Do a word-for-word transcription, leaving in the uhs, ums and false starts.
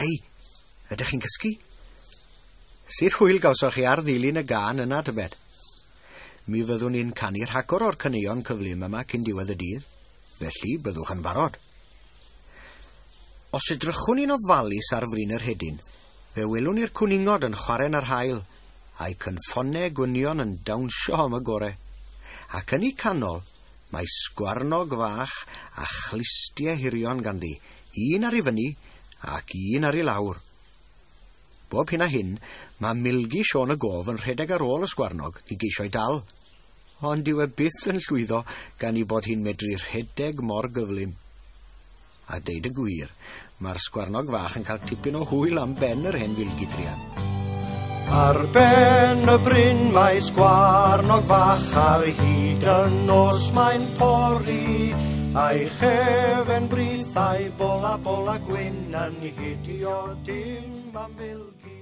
Hei, ydych chi'n cysgu? Sut hwyl gawsoch chi ar ddilyn y gân yna, tybed? Mi fyddwn ni'n canu rhagor o'r caneuon cyflym yma cyn diwedd y dydd, felly byddwch yn barod. Os edrychwn ni'n ofalus ar fryn yr hedyn, fe welwn ni'r cwningod yn chwarae yn yr haul, a'i cynffonau gwynion yn dawnsio am y gore. Ac yn eu canol, mae sgwarnog fach a chlustiau hirion ganddi, un ar ei fyny ac un ar ei lawr. Bob hyn a hyn, mae Milgi Siôn y Gof yn rhedeg ar ôl y sgwarnog i geisio'i dal. Ond dyw e byth yn llwyddo gan ei bod hi'n medru rhedeg mor gyflym. A deud y gwir, mae'r sgwarnog fach yn cael tipyn o hwyl am ben yr hen filgi druan. Ar ben y bryn mae sgwarnog fach ar hyd y nos mae'n pori, a'i chefen brith a'i bola bola gwyn yn hidio dim am filgi.